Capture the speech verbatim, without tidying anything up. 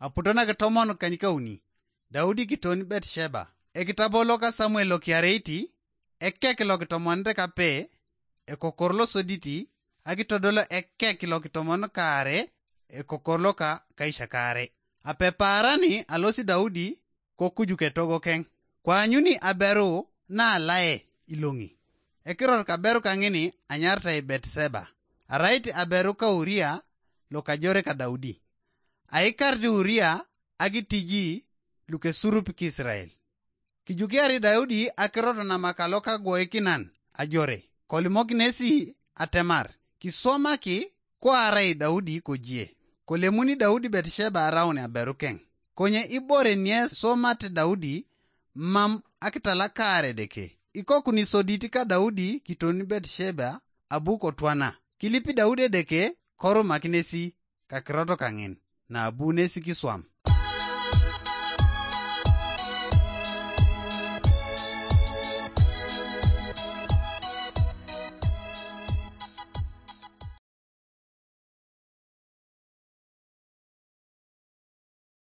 Aputo nakitomon kanykauni, Daudi kiton Betsheba. Ekitabo loka Samuel lokiareiti, ekek lokitomonit kape, ekokor losoditi, akitodolo ekek lokitomon kaare, ekokor loka kaisha kaare. Apepaarani alosi Daudi kokujuk etogo keng, koanyuni aberu naalae iloŋi. Ekiror kaberu kaŋini anyaritai Betsheba, arait aberu ka Uria lokajore ka Daudi. Aikarit Uria akitiji lukesurup Kisrael. Kijukiari Daudi akirot namakalo kagwoikinan ajore, kolimok nesi atemar kiswamaki koarai Daudi kojie. Kolemuni Daudi Betsheba araun aberukeŋ. Konye ibore nieswamate Daudi mam akitalakaar Edeke. Ikokuni sodit ka Daudi kiton Betsheba abu kotwana. Kilipi Daudi Edeke korumak nesi kakirot kaŋin, na abu nesi kiswam.